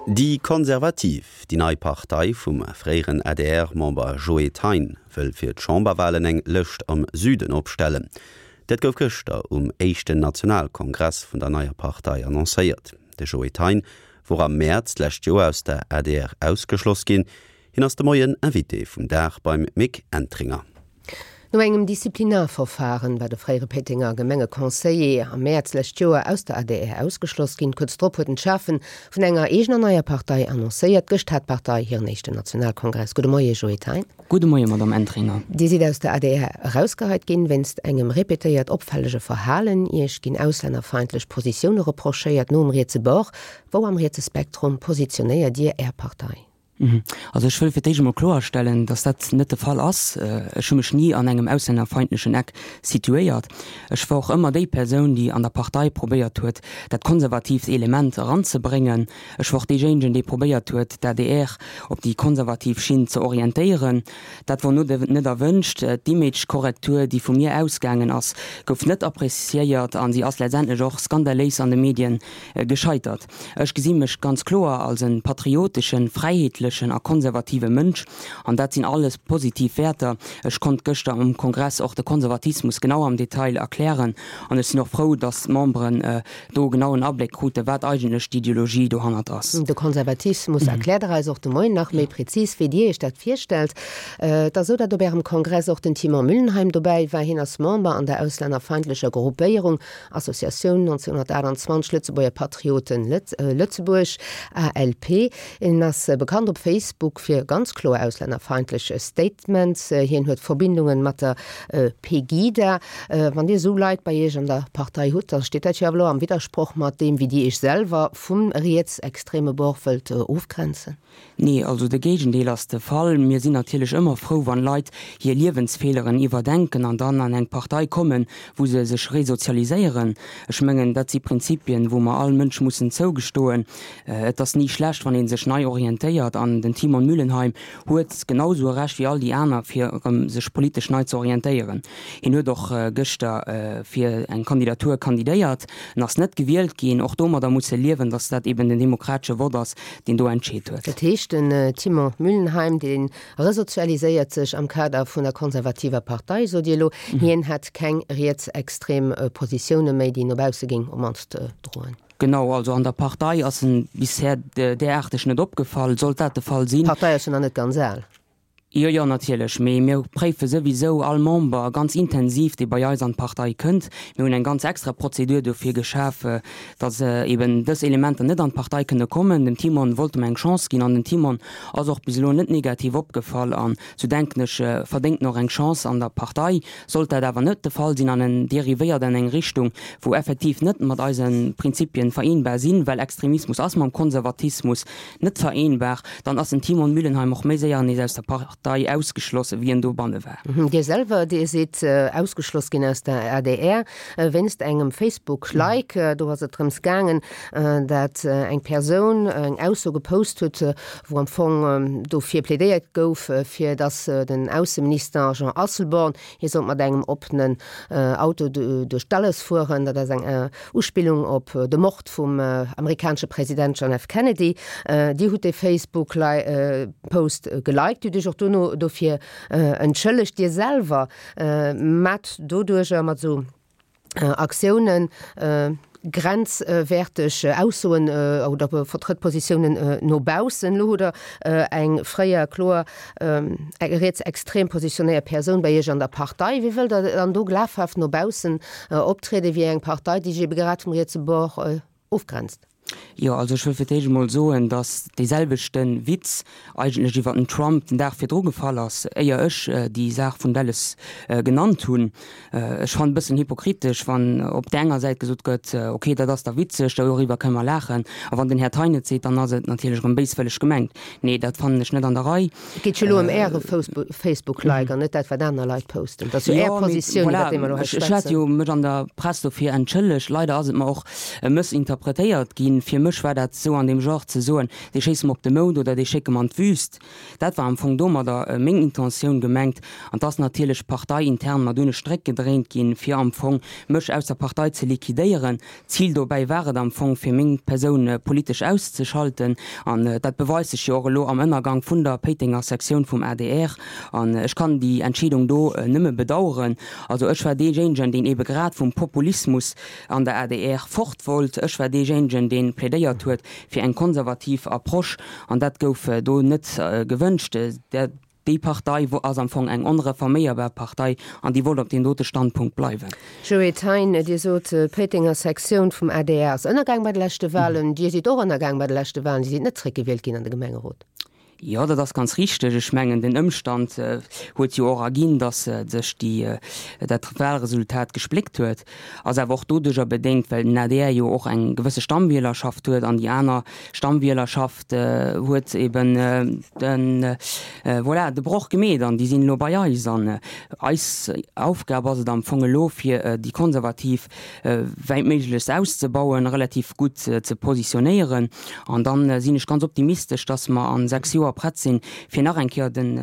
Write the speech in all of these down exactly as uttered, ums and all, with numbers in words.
Déi Konservativ, déi nei Partei vum fréieren A D R-Member Joe Thein, wëll fir d'Chamberwalen eng Lëscht am Süden opstellen. Dat gouf gëschter um éischten Nationalkongress vun der neier Partei annoncéiert. De Joe Thein wor am Mäerz d'lescht Joer aus der A D R ausgeschloss ginn. Hien ass de Moien Invité vum Dag beim Mick Entringer. No engem Disziplinarverfahren war de fréiere Péitenger Gemengeconseiller am Mäerz d'lescht Joer aus der A D R ausgeschloss ginn. Kuerz drop huet en d'Schafe vun enger eegener neier Partei annoncéiert. Gëscht hat d'Partei hiren éischten Nationalkongress. Gudde Moie Joe Thein. Gudde Moie Madame Entringer. Dir sidd aus der A D R erausgeheit ginn, wéinst engem repetéiert opfällege Verhalen. Iech ginn auslännerfeindlech Positioune reprochéiert no um rietse Bord. Wou am rietse Spektrum positionéiert Dir Är Partei? Mhm. Also ech wëll fir d'éischt emol kloerstellen, datt dat net de Fall ass. Ech hu mech ni an engem auslännerfeindlechen Eck situéiert. Ech war och ëmmer déi Persoun, déi an der Partei probéiert huet, dat konservatiivt Element eranzebréngen. Ech war och deejéinegen, dee probéiert huet, d'A D R op déi konservativ Schinn ze orientéieren. Dat wor net erwënscht. D'Image-Korrektur, déi vu mir ausgaangen ass, gouf net appreciéiert a si ass letztendlech och skandaléis an de Medien gescheitert. Ech gesi mech ganz kloer als e patrioteschen, fräiheetlechen a konservative Mënsch, an dat sinn alles positiv Wäerter. Ech konnt gëschter um Kongress och de Konservatismus genau am Detail erklären an ech sinn och frou, datt d'Memberen do genau en Abléck kruten, wat eigentlech d'Ideologie dohannert ass. De Konservatismus erkläert Der eis och de Moien nach méi prezis, wéi Dir Iech dat virstellt. Et ass esou, datt op Ärem Kongress och den Timon Müllenheim dobäi war. Hien ass Member an der auslännerfeindlecher Gruppéierung Associatioun nonzénhunnertaachtanzwanzeg Lëtzebuerger Patrioten Lëtzebuerg, A L P. Hien ass bekannt op Facebook fir ganz kloer auslännerfeindlech Statements. Hien huet Verbindungen mat der Pegida. Wann Dir esou Leit bei Iech an der Partei hutt, da steet dat jo awer elo am Widdersproch mat deem, wéi Dir Iech selwer vum rietsextreme Bord wëllt ofgrenzen. Nee, also de Géigendeel ass de Fall. Mir sinn natierlech ëmmer frou, wann Leit hir Liewensfeeleren iwwerdenken an dann an eng Partei kommen, wou se sech resozialiséieren. Ech mengen, dat si Prinzipien, wou mer all Mënsch mussen zougestoen. Et ass ni schlecht, wann ee sech nei orientéiert, an den Timon Müllenheim huet genau sou e Recht wéi all déi aner, fir erëm sech politesch nei ze orientéieren. Hien huet och gëschter fir eng Kandidatur kandidéiert, en ass net gewielt ginn. Och domadder muss e liewen, datt dat eben den demokratesche Vott ass, deen do entscheet huet. Dat heescht, den Timon Müllenheim, dee resozialiséiert sech am Kader vun der konservativer Partei, sot Dir elo. Hien hätt keng rietsextrem Positioune méi, déi no bausse géing op mannst droen. Genau, also an der Partei ass en bisher deraarteg net opgefall. Sollt dat de Fall sinn. D'Partei ass jo nach net ganz al. Jo, jo, natierlech, mee mir préife souwisou all Member ganz intensiv, dee bei eis an d'Partei kënnt. Mir hunn eng ganz extra Prozedur dofir geschaf, datt eben dës Elementer net an d'Partei kënne kommen. Dem Timon wollte mer eng Chance ginn an den Timon ass och bis elo net negativ opgefall an, sou denken ech, verdéngt en och eng Chance an der Partei. Sollt dat awer net de Fall sinn an en dérivéiert an eng Richtung, wou effektiv net mat eise Prinzipien vereenbar sinn, well Extremismus ass mam Konservatismus net vereenbar, dann ass den Timon Müllenheim och méi séier nees aus der Partei ausgeschloss, wéi en dobanne war. Dir selwer, Dir sidd ausgeschloss ginn aus der A D R wéinst engem Facebook-Like. Do ass et drëms gaangen, dat eng Persoun eng Ausso gepost huet, wou am Fong dofir plädéiert gouf, fir datt den Ausseminister Jean Asselborn, hie sollt mat engem oppenen Auto duerch Dallas fueren. Dat ass eng Uspillung op de Mord vum amerikanesche President John F. Kennedy. Dir hutt dee Facebook-Post geliked, Dir hutt Iech och dono dofir entschëllegt. Dir selwer maacht doduercher mat esou Aktiounen grenzwäerteg Aussoen oder vertrëtt Positiounen no baussen. Elo hutt Der eng fréier kloer rietsextrem positionéiert Persoun bei Iech an der Partei. Wéi wëllt Der dann do glafhaft no baussen optrieden, wéi eng Partei, déi sech ebe grad vum rietse Bord ofgrenzt? Jo, also ech wëll fir d'éischt emol soen, datt dee selwechte Witz eigentlech iwwer den Trump den Dag virdru gefall ass, éier ech déi Saach vun Dallas genannt hunn. Ech fannen e bëssen hypokritesch, wann op där enger Säit gesot gëtt, ok, dat ass da witzeg, doriwwer kënne mer laachen, a wann den Här Thein et seet, dann ass et natierlech erëm béiswëlleg gemengt. Nee, dat fannen ech net an der Rei. Et geet jo elo ëm Äre Facebook-Like an net dat, wat aner Leit posten. Et ass jo Är Positioun, iwwer déi mer elo hei schwätzen. Ech hat jo mech an der Press dofir entschëllegt. Leider ass et mer och mëssinterpretéiert ginn. Fir mech war dat esou an deem Genre ze soen, dee schéisse mer op de Mound oder dee schécke mer an d'Wüst. Dat war am Fong domadder meng Intentioun gemengt. An 't ass natierlech parteiintern mer dunn e Stréck gedréint ginn, fir am Fong mech aus der Partei ze liquidéieren. D'Zil dobäi war et am Fong, fir meng Persoun politesch auszeschalten. An dat beweist sech jo och elo am Ënnergang vun der Péitenger Sektioun vum adr. An ech kann déi Entscheedung do nëmme bedauern. Also ech war deejéinegen, deen ebe grad vum Populismus an der adr fort wollt. Ech war deejéinegen, dee plädéiert huet fir eng konservativ Approche. An dat gouf do net gewënscht. Déi Partei ass am Fong eng onreforméierbar Partei an déi wollt op deem dote Standpunkt bleiwen. Joe Thein, Dir sot, d'Péitenger Sektioun vum adr ass ënnergaang bei de leschte Wahlen. Dir sidd och ënnergaang bei de leschte Wahlen. Dir sidd net zréckgewielt ginn an de Gemengerot. Jo, dat ass ganz richteg. Ech mengen, den Ëmstand huet jo och erginn, datt sech déi, dat Wahlresultat gespléckt huet. Ass awer och doduerjer bedéngt, well den adr jo och eng gewësse Stammwielerschaft huet an déi aner Stammwielerschaft huet eben de, voilà, de Broch gemeet an déi sinn elo bei eis. An eis Aufgab ass et am Fong elo, fir déi Konservativ wäitméiglechst auszebauen, relativ gutt ze positionéieren. An da sinn ech ganz optimistesch, datt mer a sechs Joer prett sinn, fir nach eng Kéier den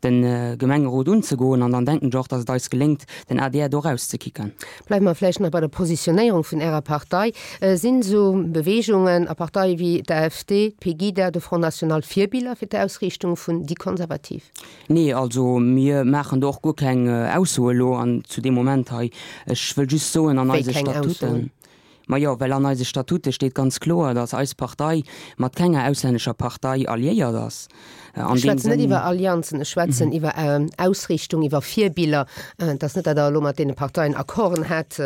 de Gemengerot unzegoen. An dann denken ech och, datt et eis geléngt, den adr do erauszekicken. Bleiwe mer vläicht nach bei der Positionéierung vun Ärer Partei. Sinn esou Beweegungen a Parteie wéi d'AfD, d'Pegida, de Front National Virbiller fir d'Ausriichtung vun déi Konservativ? Nee, also mir maachen do och guer keng Aussoe elo an zu deem Moment hei. Ech wëll just soen, an Wéi eise keng Statuten, Aussoen? Majo, well an eise Statute steet ganz kloer, datt eis Partei mat kenger auslännescher Partei alliéiert ass. An Ech deem schwätzen net Sënn. iwwer Allianzen, ech schwätzen iwwer Ausriichtung, iwwer Virbiller. Et ass net, datt Der elo mat deene Parteien Accorden hätt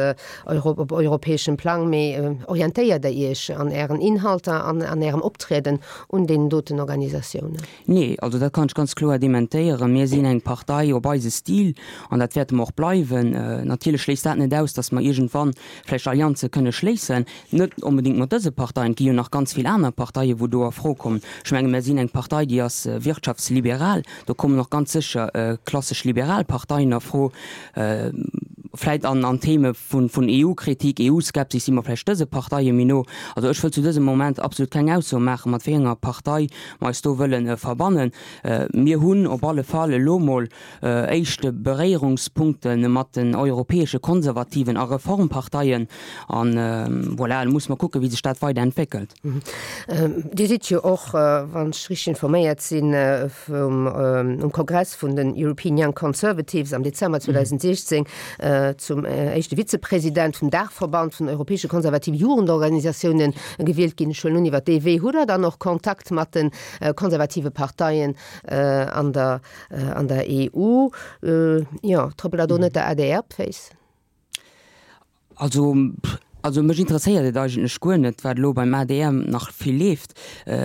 op europäeschem Plang, mee orientéiert Der Iech an Ären Inhalter an an Ärem Optrieden un deenen doten Organisatiounen? Nee, also dat kann ech ganz kloer dementéieren. Mir sinn eng Partei op eise Stil an dat wäerte mer och bleiwen. Natierlech schléisst dat net aus, datt mer iergendwann vläicht Allianze kënne schléissen, net onbedéngt mat dëse Parteien, et gi jo nach ganz vill aner Parteien, wou do a Fro kommen. Ech menge mir sinn eng Partei, déi ass wirtschaftsliberal, do kommen och ganz sécher klassesch liberal Parteien a Fro. Vläicht an an Theme vun vun EU-Kritik, EU-Skepsis si mer vläicht dëse Parteie méi no. Also ech wëll zu dësem Moment absolut keng Ausso maachen, mat wéi enger Partei mer eis do wëlle verbannen. Mir hunn op alle Fall elo mol éischte Beréierungspunkte mat den europäesche Konservativen a Reformparteien. An voilà, elo musse mer kucken, wéi sech dat weider entwéckelt. Dir sidd jo och, wann ech richteg informéiert sinn, vum um Kongress vun den European Young Conservatives am Dezember zweedausendsiechzéng zum éischte Vizepresident vum Daachverband vun europäesche konservative Jugendorganisatioune gewielt ginn. Ech huelen un, iwwer dee Wee hutt Der dann och Kontakt mat de konservative Parteien an der an der E U. Jo, trëppelt Der do net der adr op d'Féiss? Also, also mech interesséiert et eigentlech guer net, wat elo beim adr nach vill leeft.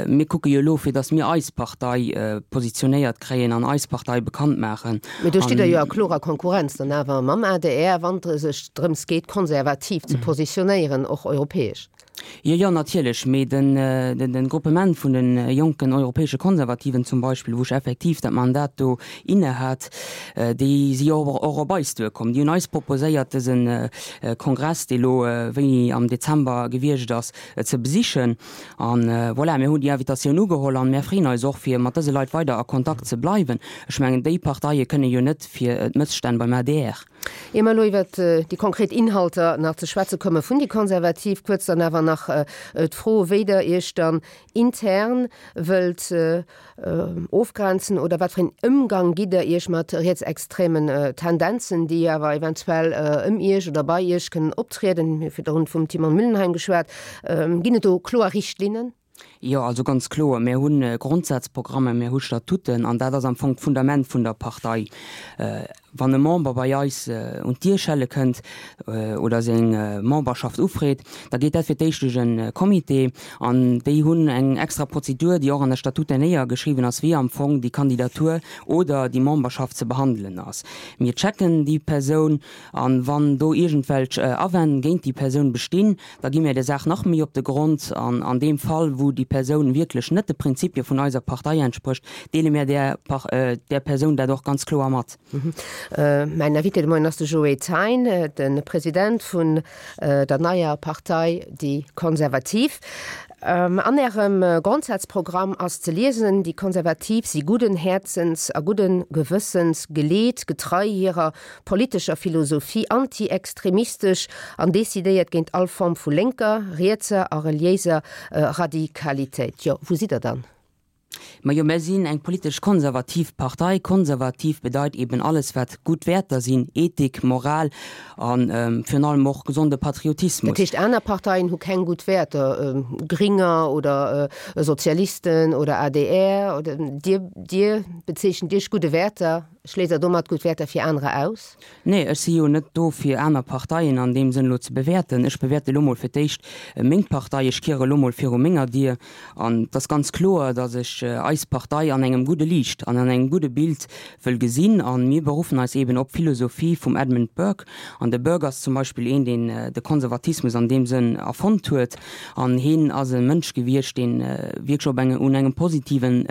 Mir kucke jo elo, fir datt mir eis Partei positionéiert kréien an eis Partei bekannt maachen. Mee do stitt Der jo a klorer Konkurrenz dann awer mam adr, wann et sech drëms geet, konservativ ze positionéieren, och europäesch. Jo, jo, natierlech. Mee den, den Gruppement vun de jonken europäesche Konservativen zum Beispill, wou ech effektiv dat Mandat do innehat, déi si jo och op eis duerkomm. Déi hunn eis proposéiert, dëse Kongress, dee lo wéini am Dezember gewiescht ass, ze besichen. An voilà, mir hunn déi Invitatioun ugeholl an mär freeën eis och, fir mat dëse Leit weider a Kontakt ze bleiwen. Ech mengen, déi Parteie kënne jo net fir d'Mësstänn beim adr. Ier mer elo iwwert déi konkret Inhalter nach ze schwätze komme vun déi Konservativ, kuerz dann awer nach d'Fro, wéi Der Iech dann intern wëllt ofgrenzen oder wat fir een Ëmgang gitt Der Iech mat rietsextremen Tendenzen, déi awer eventuell ëm Iech oder bei Iech kënnen optrieden? Mir hu virdrun vum Timon Müllenheim geschwat. Ginn et do kloer Richtlinnen? Jo, also ganz kloer, mir hu Grondsazprogrammen, mir hu Statuten an dat ass am Fong d'Fundament vun der Partei. Wann e Member bei eis un d'Dier schelle kënnt oder seng Memberschaft ufreet, da geet dat fir d'éischt duerch e Comité an déi hunn eng extra Prozedur, déi och an der Statute néiergeschriwwen ass, wéi am Fong déi Kandidatur oder déi Memberschaft ze behandelen ass. Mir checken déi Persoun an wann do iergendwelch Awänn géint déi Persoun bestinn, da gi mir der Saach nach méi op de Grond an an deem Fall, wou déi Persoun wierklech net de Prinzipie vun eiser Partei entsprécht, deele mir där där Persoun dat och ganz kloer mat. Mäin Invité de Moien ass de Joé Thein, de President vun der neier Partei Déi Konservativ. An Ärem Grondsazprogramm ass ze liesen, Déi Konservativ si gudden Häerzens a gudden Gewëssens geleet, getrei hirer politescher Philosophie, anti-extremistesch an decidéiert géint all Form vu lénker, rietser a reliéiser Radikalitéit. Jo, wou sidd Der dann? Majo, mär sinn eng politesch konservativ Partei. Konservativ bedeit eben alles wat gutt Wäerter sinn, Ethik, Moral a virun allem och gesonde Patriotismus. Dat heescht, aner Parteien hu keng gutt Wäerter, Gringer oder Sozialisten oder adr oder Dir, Dir bezeechent Iech gudde Wäerter, schléisst Der domat gutt Wäerter fir anerer aus? Nee, ech si jo net do fir aner Parteien an deem Sënn elo ze bewäerten. Ech bewäerte elo mol fir d'éischt meng Partei. Ech kiere elo mol viru menger Dier. An et ass ganz kloer, datt ech eis Partei an engem gudde Liicht an an engem gudde Bild wëll gesinn. A mir beruffen eis eeben op d'Philosophie vum Edmund Burke. An de Burke ass zum Beispill een, deen de Konservatismus an deem Sënn erfonnt huet. An heen ass e Mënsch gewiescht, dee wierklech op enge, un engem positiven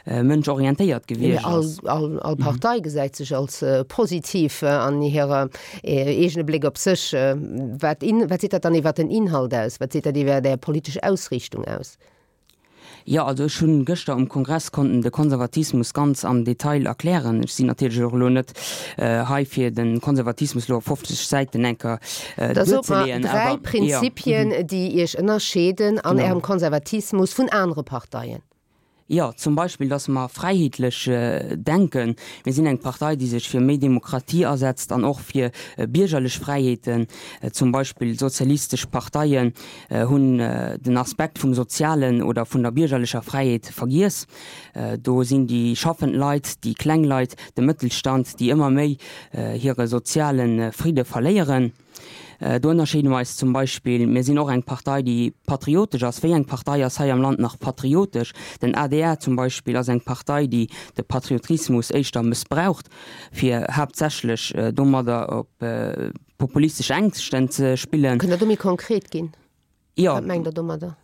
Mënsch orientéiert gewiescht ass. All, all Partei gesäit sech als positiv an hirer eegene Bléck op sech. Wat, wat seet dat dann iwwer den Inhalt aus? Wat seet dat iwwer Är politesch Ausriichtung aus? Jo, also ech hunn gëschter um Kongress konnten de Konservatismus ganz am Detail erklären. Ech sinn natierlech och elo net hei fir de Konservatismus elo op fofzeg Säiten eng Kéier Da sot mer duerzeleeën, dräi awer jo. Prinzipien, déi Iech ënnerscheeden an Ärem Konservatismus vun anere Parteien. Jo, zum Beispill, dass mer fräiheetlech denken. Mir sinn eng Partei, déi sech fir méi Demokratie asetzt an och fir biergerlech Fräiheeten. Zum Beispill sozialistesch Parteien hunn den Aspekt vum Sozialen oder vun der biergerlecher Fräiheet vergiess. Do sinn déi schaffend Leit, déi kleng Leit, de Mëttelstand, déi ëmmer méi hire soziale Fridde verléieren. Do ënnerscheede mer eis zum Beispill. Mir sinn och eng Partei, déi patriotesch ass. Wéi eng Partei ass hei am Land nach patriotesch? Den adr zum Beispill ass eng Partei, déi de Patriotismus éischter mëssbraucht, fir haaptsächlech domadder op populistesch Ängschten ze spillen. Kënnt Der do méi konkret ginn? Jo. Wat mengt Der domadder?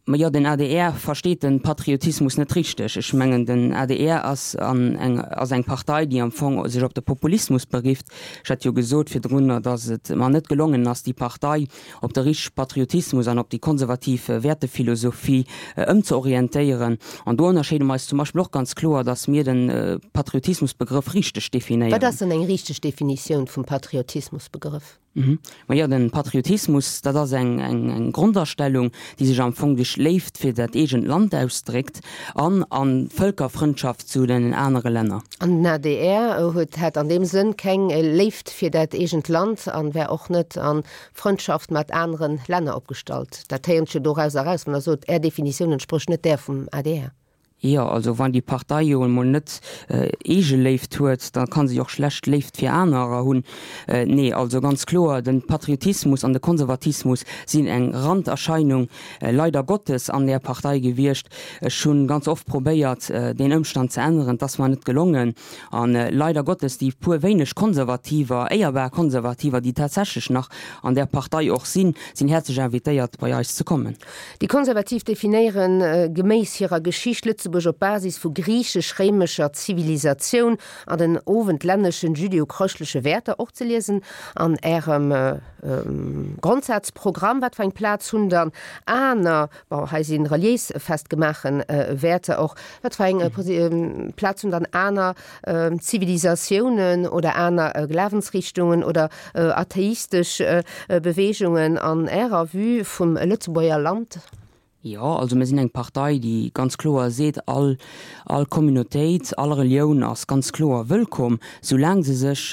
Majo, den adr versteet den Patriotismus net richteg. Ech mengen, den adr ass an eng, ass eng Partei, déi am Fong sech op de Populismus berifft. Ech hat jo gesot virdrunner, datt et mer net gelongen ass, déi Partei op de richtege Patriotismus an op déi konservativ Wäertephilosophie ëmzeorientéieren. An do ënnerscheede mer eis zum Beispill och ganz kloer, datt mir de Patriotismusbegrëff richteg Wat definéieren. ass dann eng richteg Definitioun vum Patriotismusbegrëff? Majo, den Patriotismus, dat ass eng eng Grondastellung, déi sech am Fong duerch Léift fir dat eegent Land ausdréckt an an Vëlkerfrëndschaft zu den anere Länner. An den adr huet hat an deem Sënn keng Léift fir dat eegent Land an wär och net a Frëndschaft mat anere Länner opgestallt. Dat héiert sech jo doraus eraus, wann Der sot, Är Definitioun entsprécht net där vum adr. Jo, also wann déi Partei jo emol net Eegeléift huet, da ka se jo och schlecht Léift fir anerer hunn. Nee, also ganz kloer, de Patriotismus an de Konservatismus sinn eng Randerscheinung, leider Gottes, an där Partei gewiescht. Ech hu ganz oft probéiert, deen Ëmstand ze änneren, et ass mer net gelongen. A leider Gottes, déi puer wéineg Konservativer, éierbar Konservativer, déi tatsächlech nach an där Partei och sinn, sinn häerzlech invitéiert, bei eis ze kommen. Déi Konservativ definéieren geméiss hirer Geschicht Lëtzebuerg op Basis vu griechesch-réimescher Zivilisatioun an den owendlänneschen jüdeo-chrëschtleche Wäerter, och ze liesen an Ärem Grondsazprogramm. Wat fir eng Plaz hunn dann aner, bon, hei si reliéis festgemaachen Wäerter och, wat fir eng Plaz hunn dann aner Zivilisatiounen oder aner Glawensrichtungen oder atheistesch Beweegungen an Ärer Vue vum Lëtzebuerger Land? Jo, also mir sinn eng Partei, déi ganz kloer seet, all, all Communautéit, all Relioun ass ganz kloer wëllkomm, soulaang se sech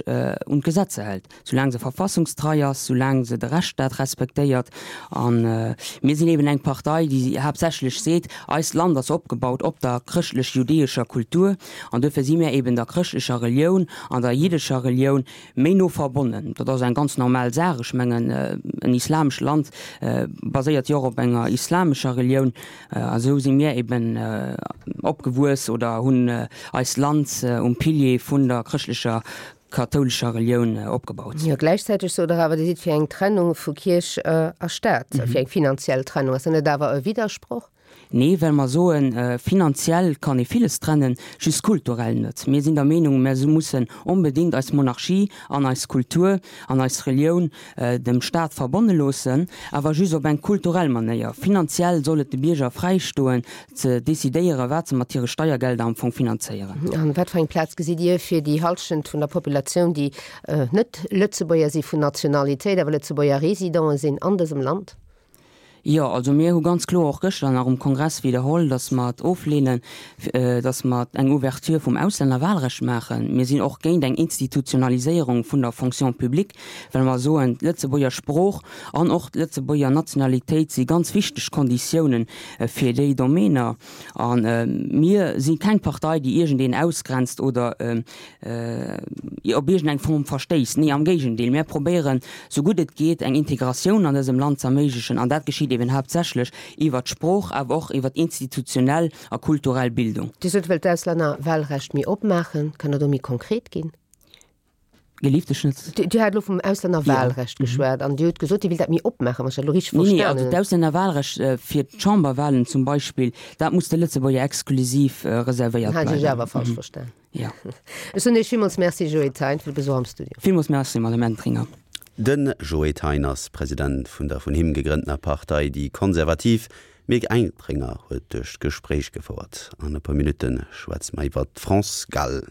un d'Gesetzer hält, soulaang se verfassungstrei ass, soulaang se de Rechtsstaat respektéiert. A mir sinn eben eng Partei, déi haaptsächlech seet, eist Land ass opgebaut op der chrëschtlech-judäescher Kultur an duerfir si mir eben der chrëschtlecher Relioun an der jiddescher Relioun méi no verbonnen. Dat ass eng ganz normal Saach. Ech mengen, en islamescht Land baséiert jo och op enger islamescher Relioun. A sou si mir eben opgewuess oder hunn eist Land um Pilier vun der chrëschtlecher kathoulescher Relioun opgebaut. Jo, gläichzäiteg sot Der awer, Dir sidd fir eng Trennung vu Kierch a Staat, fir eng finanziell Trennung. Ass dat net awer e Widdersproch? Nee, well mer soen, finanziell kann ee villes trennen, just kulturell net. Mir sinn der Meenung, mer mussen onbedéngt eis Monarchie an eis Kultur an eis Relioun dem Staat verbonne loossen, awer just op eng kulturell Manéier. Finanziell soll et de Bierger fräi stoen, ze decidéieren, wat se mat hire Steiergelder am Fong finanzéieren. An wat fir eng Plaz gesitt Dir fir déi Hallschent vun der Populatioun, déi net Lëtzebuerger si vun Nationalitéit, awer Lëtzebuerger Résidenten sinn an dësem Land? Jo, also mir hu ganz kloer och gëschter nach um Kongress widderholl, datt mer et ofleenen, datt mer eng Ouverture vum Auslännerwahlrecht maachen. Mir sinn och géint eng Institutionaliséierung vun der Fonction publique, well mer soen, d'Lëtzebuerger Sprooch an och d'Lëtzebuerger Nationalitéit si ganz wichteg Konditiounen fir déi Domainer. A mir si keng Partei, déi iergendeen ausgrenzt oder op iergendeng Form verstéisst. Nee, am Géigendeel, mir probéieren, sou gutt et geet, eng Integratioun an dësem Land ze erméiglechen. An dat geschitt eben haaptsächlech iwwert d'Sprooch, awer och iwwert institutionell a kulturell Bildung. Dir sot, Dir wëllt d'Auslännerwahlrecht méi opmaachen. Kënnt Der do méi konkret ginn? Gelift, ech net. Dir hat elo vum Auslännerwahlrecht geschwat an Dir hutt gesot, Dir wéilt dat méi opmaachen, wann ech dat elo richteg Nee, nee, verstanen also hunn. d'Auslännerwahlrecht fir d'Chamberwahlen zum Beispill, dat muss de Lëtzebuerger exklusiv reservéiert Dann hat ech Iech bleiwen. awer falsch verstan. Jo. Ech soen Iech villmools Merci, Joé Thein, fir de Besuch am Studio. Villmools Merci, Madame Entringer. De Joé Thein ass President vun der vun him gegrënntener Partei Déi Konservativ. D'Mick Entringer huet duerch d'Gespréich gefouert. An e puer Minutte schwätze mer iwwer d'France Gall.